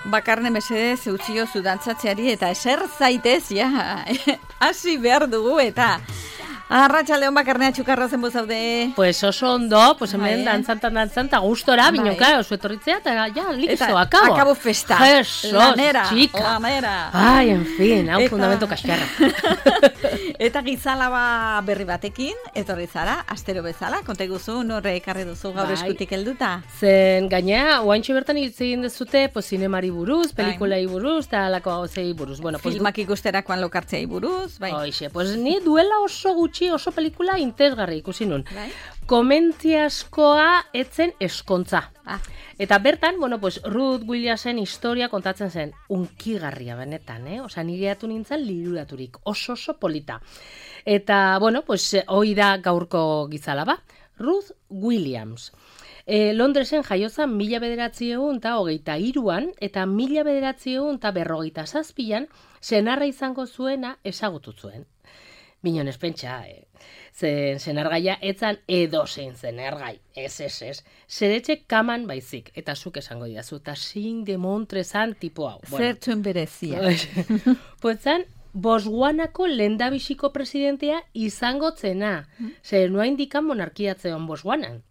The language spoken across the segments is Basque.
Bakarne mesedez eutzio zudantzatzeari eta eser zaitez, ja, hasi behar dugu eta... Arratxaldeon Bakarnea txukarra zen bozaude. Pues oso ondo, pues hemen dantzanta gustora, bino, claro, zu etorritzea, eta ja, listo, akabo. Akabo festa. Jesus, lanera, chica. Lanera. Ai, en fin, hau fundamento kaskarra. Eta gizalaba berri batekin, etorri zara, astero bezala, konta guzu, norre ekarri duzu gaur eskutik helduta. Zen gaina, oaintxo bertan hitz egin dezute, pues zinemari buruz, pelikulai buruz, eta alako gauzei buruz. Bueno, pues, filmak ikusterakoan lokartzei buruz, bai. Hoixe, pues ni duela oso gutxi, oso pelikula interesgarri ikusi nun. Bai? Komentziaskoa etzen eskontza. Eta bertan, bueno, pues Ruth Williamsen historia kontatzen zen, unkigarria benetan, Osa, nire atu nintzen liruraturik, oso polita. Eta, bueno, pues hoi da gaurko gizalaba, Ruth Williams. Londresen jaiozan 1923an eta 1957an senarra izango zuena ezagutu zuen. Minon espentsa, senargaia etzan edozein senargai, ez. Zeretxe kaman baizik, eta zuk esango didazu, eta sin de montrezan tipo hau. Zertzuen berezia. Poetzan, Botswanako lehendabiziko presidentea izango zena. Zer noa indikan monarkiatzeon Botswanan.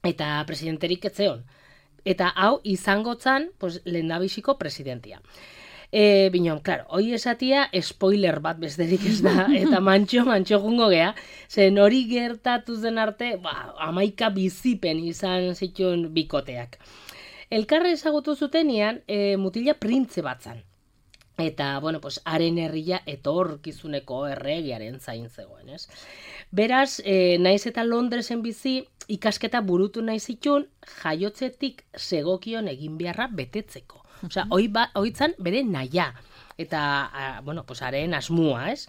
Eta presidenterik etzeon. Eta hau izango zan lehendabiziko presidentea. Binon, klaro, hoi esatia spoiler bat besterik ez da, eta mantxo jungo gea, zen hori gertatu zen arte, 11 bizipen izan zituen bikoteak. Elkarre ezagutu zutenean, mutila printze bat zan. Eta, bueno, pues, haren herria etorkizuneko erregiaren zain zegoen, ez? Beraz, naiz eta Londresen bizi, ikasketa burutu nahi zituen, jaiotzetik segokion egin beharra betetzeko. Osea, hoitzan bere naia. Eta, bueno, pues, haren asmua, ez?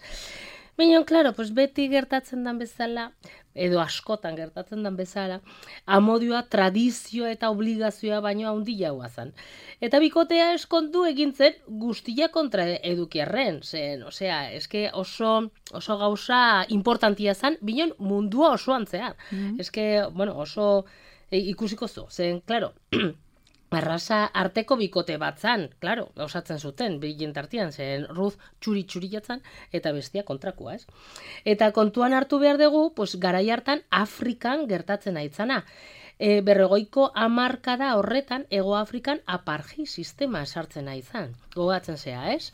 Baina, claro, pues, beti gertatzen dan bezala, edo askotan gertatzen dan bezala, amodioa, tradizioa eta obligazioa baino handia guazan. Eta bikotea eskondu egintzen guztia kontra edukiarren, zen, osea, eske oso gauza importantia zan, binon mundua osoan zehar. Eske, bueno, oso ikusiko zu, zen, claro, arrasa arteko bikote bat zan, claro, osatzen zuten, bilen tartian, zen Ruth txuri jatzan, eta bestia kontrakoa, ez? Eta kontuan hartu behar dugu, pues, garai hartan Afrikan gertatzen aitzana. 40ko hamarkada horretan, Hego Afrikan apartheid sistema esartzen aizan. Gogatzen zea, ez?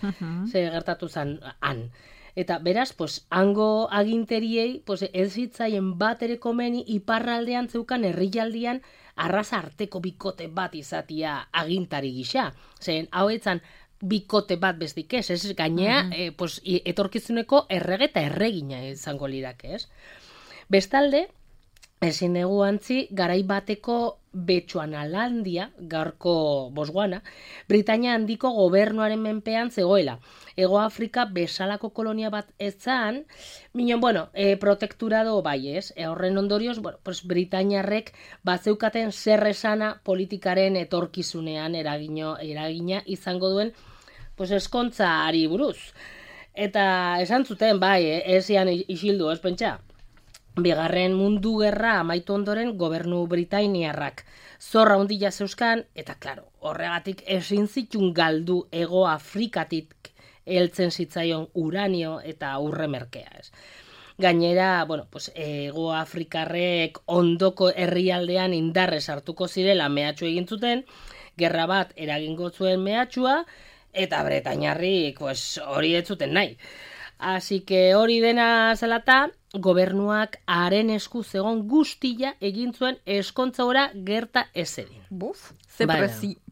Ze gertatu zan han. Eta beraz, pues, hango aginteriei, pues, ez zitzaien bat ere komeni iparraldean zeukan herrialdean arrasa arteko bikote bat izatia agintari gisa. Zen, hau etzan bikote bat bestik ez gainea, pues, etorkizuneko errege eta erregina izango lirake, ez? Bestalde, ezin dugu antzi, garai bateko Bechuanalandia, gaurko Botswana, Britainia handiko gobernuaren menpean zegoela. Hego Afrika bezalako kolonia bat ezan, minon, bueno, protekturado bai ez, horren ondorioz, bueno, pues Britainiarrek batzeukaten zer esana politikaren etorkizunean eragina izango duen, pues eskontza ari buruz. Eta esan zuten, bai, ez zian isildu, ez pentsa? Bigarren mundu gerra amaitu ondoren gobernu britainiarrak zorra handia zeuzkan, eta klaro, horregatik ezin zitun galdu Hego Afrikatik heltzen zitzaion uranio eta urre merkea, ez. Gainera, bueno, pues, Hego Afrikarrek ondoko herrialdean indarrez hartuko zirela mehatxu egin zuten, gerra bat eragingo zuen mehatxua, eta bretainarrik, pues, hori ez zuten nahi. Así que hori dena zelata, gobernuak haren esku zegon guztia egin zuen eskontza ora gerta ez edin. Buf, ze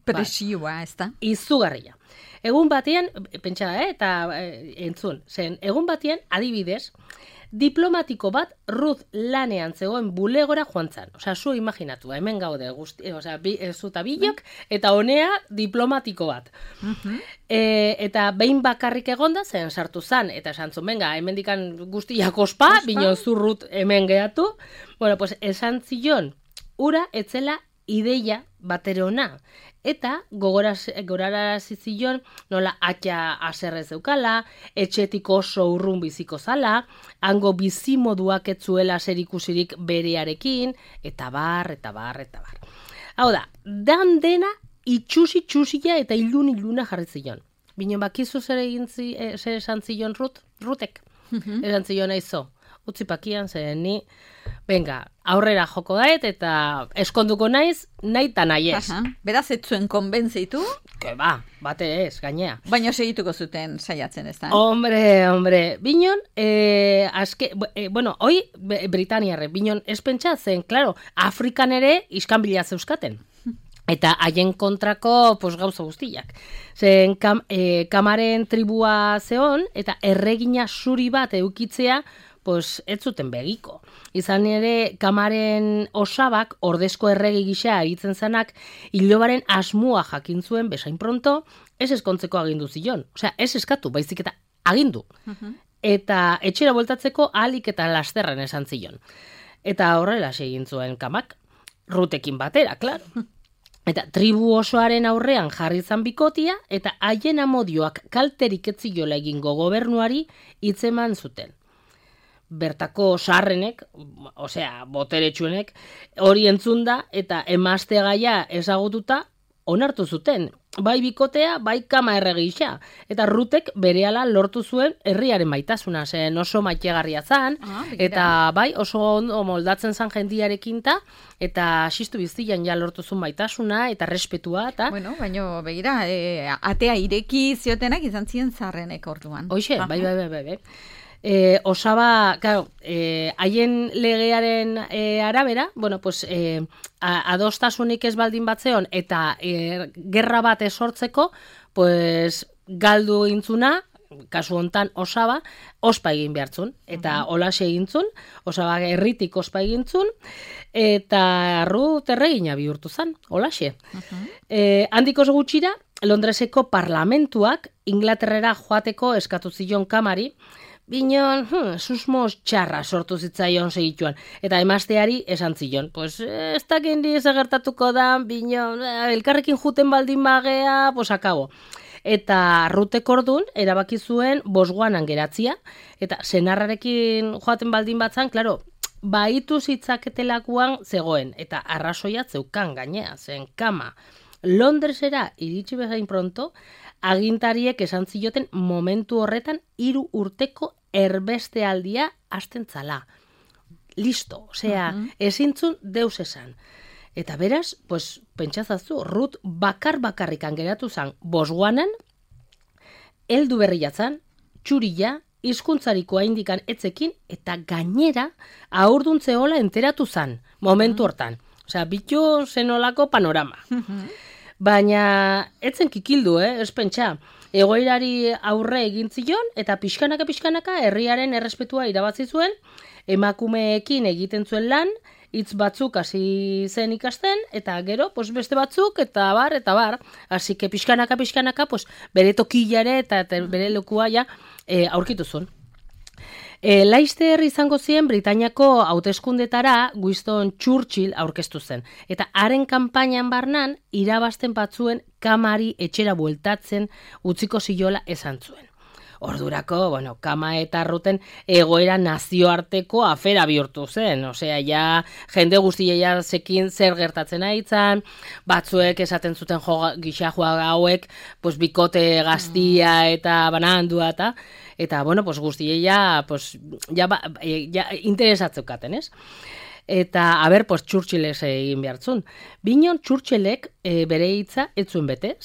presioa, ez da? Izugarria. Egun batean, pentsa, eta entzun, zen, egun batean, adibidez, diplomatiko bat Ruth lanean zegoen bulegora joan zan. Osea, zu imaginatu, hemen gaude guzti, osea, zuta bilok, eta honea diplomatiko bat. Eta behin bakarrik egonda, zen sartu zan, eta esan zuen, venga, hemen dikan guztiak ospa, bino zu Ruth hemen gehatu. Bueno, pues, esan zion, ura etzela ideia batere ona. Eta gogorarazi zion nola atxa aserrez zeukala, etxetik oso urrun biziko zala, hango bizimoduak ez zuela zerikusirik berearekin, eta bar. Hau da, dena itxusia eta iluna jarri zion. Binon, bakizu zer esan zion Rutek? Esan zion aizo. Utzi pakian, zen ni, venga, aurrera joko daet eta eskonduko naiz, nahi eta nahi ez. Beraz, ez zuen konbentzeitu? Que ba, bate ez, gainea. Baina segituko zuten saiatzen ez da? Hombre, binon, hoi Britaniarre, binon ez pentsatzen, claro, Afrikan ere iskanbila zeuskaten. Eta haien kontrako gauza guztiak. Zen kamaren tribua zeon, eta erregina zuri bat eukitzea, ez zuten begiko. Izan ere, kamaren osabak, ordezko erregi gisa aritzen zanak, ilobaren asmua jakin zuen, bezain pronto, ez eskontzeko agindu zion. Osea, ez eskatu, baizik eta agindu. Eta etxera bueltatzeko ahalik eta lasterren esan zion. Eta horrela egin zuen kamak, Rutekin batera, klaro. Eta tribu osoaren aurrean jarri zan bikotia, eta haien amodioak kalterik etziola egingo gobernuari hitzeman zuten. Bertako sarrenek, boteretsuenek, hori entzunda eta emazte gaia ezagututa onartu zuten. Bai bikotea, bai kama erregisa. Eta Rutek berehala lortu zuen herriaren maitasuna, zen oso maitegarria zan, eta bai oso ondo moldatzen zan jendiarekin eta xistu biztian ja lortu zuen maitasuna eta respetua. Bueno, baina begira, atea ireki ziotenak izan ziren zarrenek orduan. Hoxe, bai. Osaba, claro, haien legearen arabera, adostasunik ez baldin batzeon eta gerra bat esortzeko, galdu intzuna, kasu hontan Osaba, ospa egin behartzun, eta holaxe egintzun, Osaba herritik ospa egintzun, eta Rut erregina bihurtu zan, holaxe. Handik oso gutxira, Londreseko parlamentuak Inglaterrera joateko eskatu zion kamari, binon, susmoz txarra sortu zitzaion segituan. Eta emazteari esan zion. Ez dakendi ezagertatuko da, binon, elkarrekin juten baldin bagea, akabo. Eta Rutek ordun erabaki zuen Botswanan geratzia, eta senarrarekin joaten baldin batzan, klaro, baitu zitzaketelakuan zegoen, eta arrazoia zeukan gainea, zen kama. Londresera iritsi bezain pronto, agintariek esan zioten momentu horretan 3 urteko erbestealdia hasten zala. Listo, ezintzun deus esan. Eta beraz, pentsazazu, Rut bakarrikan geratu zan Botswanan, heldu berriatzan, txurila, hizkuntzariko haindikan etzekin, eta gainera aurduntzeola enteratu zan, momentu hortan. Bitu zenolako panorama. Baina, etzen kikildu, ez pentsa. Egoerari aurre egin zion, eta pixkanaka herriaren errespetua irabazi zuen, emakumeekin egiten zuen lan, hitz batzuk hasi zen ikasten, eta gero, beste batzuk, eta bar. Así que pixkanaka, bere tokilare eta bere lekua aurkitu zuen. Laster izango ziren Britainiako hauteskundetara Winston Churchill aurkeztu zen. Eta haren kanpainan barnan, irabazten batzuen kamari etxera bueltatzen utziko ziola esan zuen. Ordurako, kama eta Ruten egoera nazioarteko afera bihurtu zen. Jende guztia zekin zer gertatzen aitzan, batzuek esaten zuten gisa hauek, bikote gaztia eta banandua eta guztia interesatzeukaten, ez? Eta, Churchillek egin behartzun. Binon Churchillek bere hitza ez zuen bete.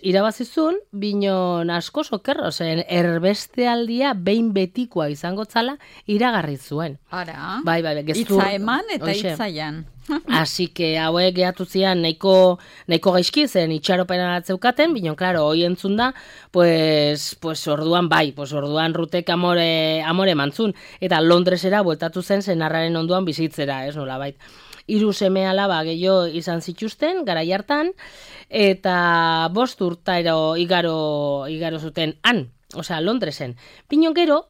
Irabazizun, binon asko sokerro, zen erbestealdia behin betikoa izango zala iragarri zuen. Ara, bai, hitza eman eta hitzaian. Así que hauek gehatu zian nahiko gaizki zen itxaropena atzeukaten, binon, klaro, hoi entzun da, orduan orduan Rutek amore mantzun, eta Londresera bueltatu zen senarraren onduan bizitzera, ez nolabait. 3 seme alaba gehiago izan zituzten, garai hartan, eta 5 urtaero igaro zuten han, Londresen. Binon gero,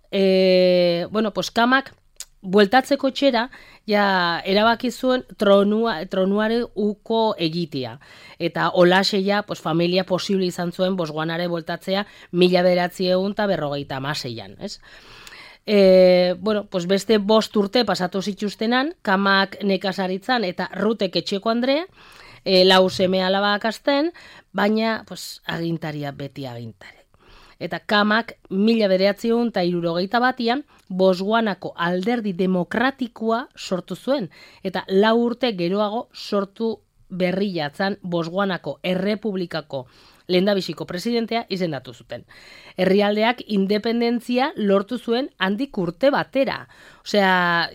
kamak bueltatzeko txera, erabaki zuen tronuare uko egitea. Eta holaxe familia posible izan zuen Botswanare bueltatzea 1956an, ez? Beste 5 urte pasatu zituztenan, kamak nekazaritzan eta Rutek etxeko andrea, lau seme alabak azten, baina pues, agintaria beti agintare. Eta Kamak 1961an Botswanako alderdi demokratikoa sortu zuen, eta 4 urte geroago sortu berriatzan Botswanako errepublikako lehendabiziko presidentea izendatu zuten. Herrialdeak independentzia lortu zuen handik urte batera. Osea,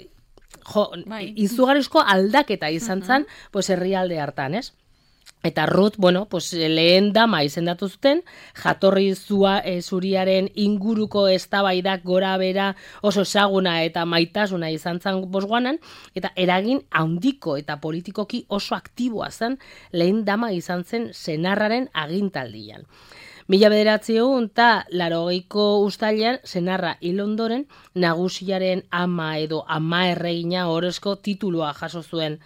izugarrizko aldaketa izan zen, pues herrialde hartan, ez? Eta Ruth, bueno, pues lehen dama izendatu zuten, jatorri zuriaren inguruko eztabaidak gora bera oso ezaguna eta maitasuna izan zen Botswanan, eta eragin handiko eta politikoki oso aktiboa zen lehen dama izan zen senarraren agintaldian. 1980ko uztailean senarra hil ondoren nagusiaren ama edo ama erregina orozko titulua jaso zuen.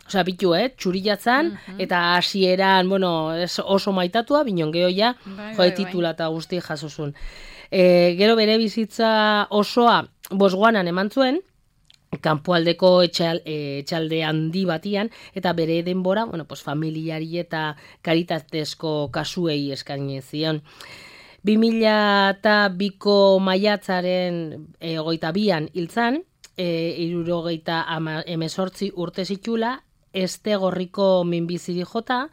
Osa, bitu, txurillatzan, eta hasieran, bueno, oso maitatua, binon gehoia, titula eta guzti jasozun. Gero bere bizitza osoa Botswanan eman zuen, kanpoaldeko etxalde handi batian, eta bere denbora, bueno, pues, familiari eta karitatezko kasuei eskaini zion. 2002ko maiatzaren 22an hiltzan, 78 urte zitula, Estegorriko minbiziri jota,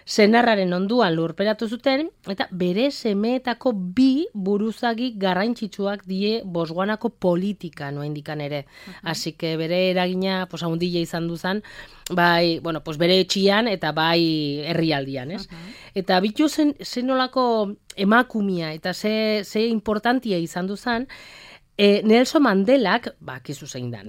senarraren onduan lurperatu zuten, eta bere semeetako 2 buruzagi garrantzitsuak die Botswanako politika noendikan ere. Así que bere eragina pues, haundila izan duzan, bai, bueno, pues bere etxian eta bai herrialdian, ez? Eta bitu zenolako emakumia eta ze importantia izan duzan, Nelson Mandelak, kizu zein dan,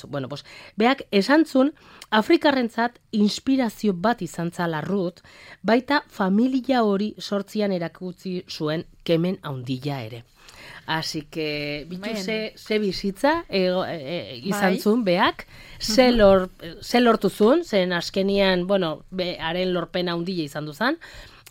bueno, pues, beak esantzun, Afrikarrentzat inspirazio bat izan zala Ruth, baita familia hori sortzian erakutsi zuen kemen haundila ere. Así que, bitu ze bizitza izan zuen beak, ze lortu zuen, zen askenian, bueno, haren lorpena haundila izan duzan,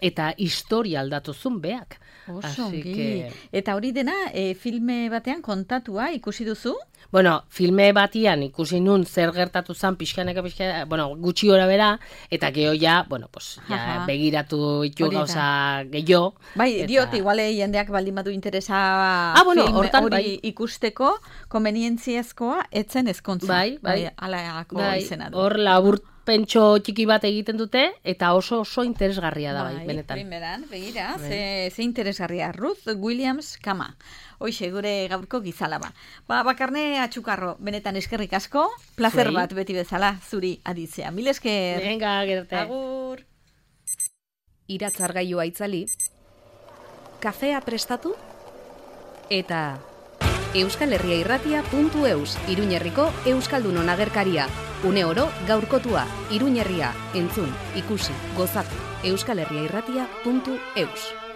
eta historia aldatu zuen beak. Eta hori dena, filme batean kontatua ikusi duzu? Bueno, filme batian ikusi nun zer gertatu zan pixkaneka, bueno, gutxi gora bera, eta geho ja, bueno, pues, ja, begiratu itu gauza gehiago. Bai, diot, iguale jendeak baldin badu interesa bueno, film hori ikusteko, konbenientziazkoa etzen ezkontza. Bai, alako izena du. Hor labur pentso txiki bat egiten dute, eta oso interesgarria da, bai, benetan. Primeran, begira, ze interesgarria. Ruth Williams Kama. Hoixe, gure gaurko gizalaba. Bakarne Atxukarro, benetan eskerrik asko, placer bat beti bezala zuri aditzea. Mil esker. Venga, gerarte. Agur. Iratzargailua itzali, kafea prestatu, eta euskalherriairratia.eus, Iruñerriko Euskaldunon agerkaria. Une oro gaurkotua, Iruñerria, entzun, ikusi, gozatu, euskalherriairratia.eus.